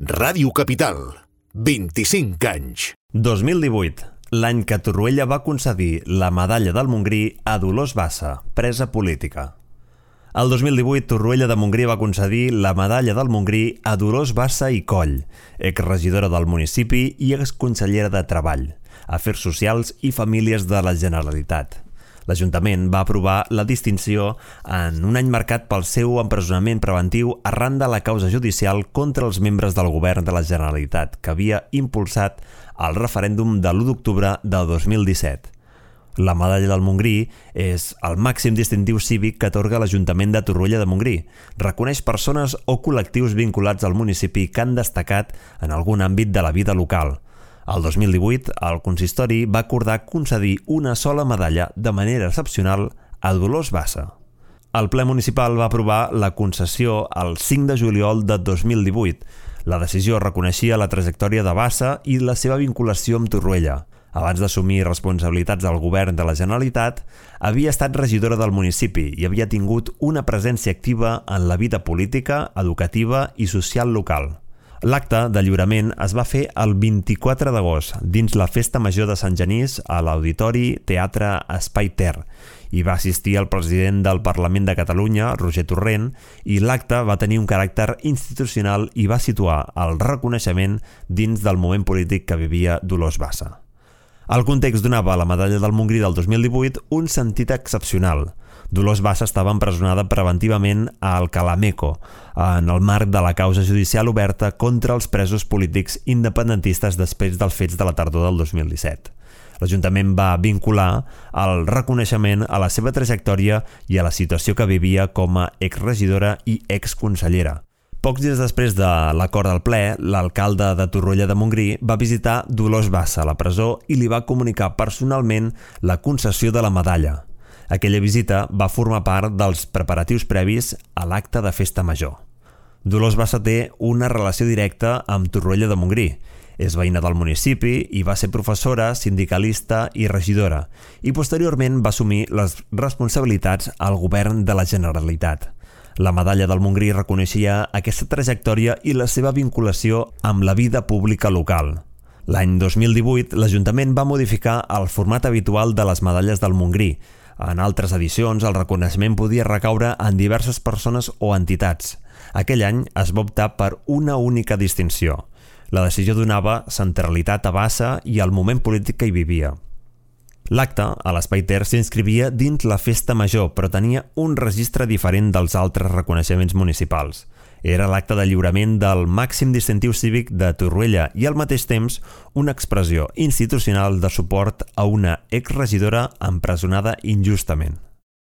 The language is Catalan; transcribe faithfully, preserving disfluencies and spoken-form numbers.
Ràdio Capital, vint-i-cinc anys. dos mil divuit, l'any que Torroella va concedir la medalla del Montgrí a Dolors Bassa, presa política. El dos mil divuit, Torroella de Montgrí va concedir la medalla del Montgrí a Dolors Bassa i Coll, exregidora del municipi i exconsellera de Treball, Afers Socials i Famílies de la Generalitat. L'Ajuntament va aprovar la distinció en un any marcat pel seu empresonament preventiu arran de la causa judicial contra els membres del govern de la Generalitat que havia impulsat el referèndum de l'u d'octubre de dos mil disset. La medalla del Montgrí és el màxim distintiu cívic que atorga l'Ajuntament de Torroella de Montgrí. Reconeix persones o col·lectius vinculats al municipi que han destacat en algun àmbit de la vida local. El dos mil divuit, el consistori va acordar concedir una sola medalla de manera excepcional a Dolors Bassa. El ple municipal va aprovar la concessió el cinc de juliol de dos mil divuit. La decisió reconeixia la trajectòria de Bassa i la seva vinculació amb Torroella. Abans d'assumir responsabilitats del govern de la Generalitat, havia estat regidora del municipi i havia tingut una presència activa en la vida política, educativa i social local. L'acte de lliurament es va fer el vint-i-quatre d'agost dins la Festa Major de Sant Genís a l'Auditori Teatre Espai Ter. Hi va assistir el president del Parlament de Catalunya, Roger Torrent, i l'acte va tenir un caràcter institucional i va situar el reconeixement dins del moment polític que vivia Dolors Bassa. El context donava a la medalla del Montgrí del dos mil divuit un sentit excepcional. Dolors Bassa estava empresonada preventivament a Alcalá-Meco en el marc de la causa judicial oberta contra els presos polítics independentistes després dels fets de la tardor del dos mil disset. L'Ajuntament va vincular el reconeixement a la seva trajectòria i a la situació que vivia com a exregidora i exconsellera. Pocs dies després de l'acord del ple, l'alcalde de Torroella de Montgrí va visitar Dolors Bassa a la presó i li va comunicar personalment la concessió de la medalla. Aquella visita va formar part dels preparatius previs a l'acte de festa major. Dolors Bassa té una relació directa amb Torroella de Montgrí. És veïna del municipi i va ser professora, sindicalista i regidora, i posteriorment va assumir les responsabilitats al govern de la Generalitat. La medalla del Montgrí reconeixia aquesta trajectòria i la seva vinculació amb la vida pública local. L'any dos mil divuit, l'Ajuntament va modificar el format habitual de les medalles del Montgrí. En altres edicions, el reconeixement podia recaure en diverses persones o entitats. Aquell any es va optar per una única distinció. La decisió donava centralitat a Bassa i al moment polític que hi vivia. L'acte, a l'Espai Ter, s'inscrivia dins la Festa Major, però tenia un registre diferent dels altres reconeixements municipals. Era l'acte de lliurament del màxim distintiu cívic de Torroella i al mateix temps una expressió institucional de suport a una exregidora empresonada injustament.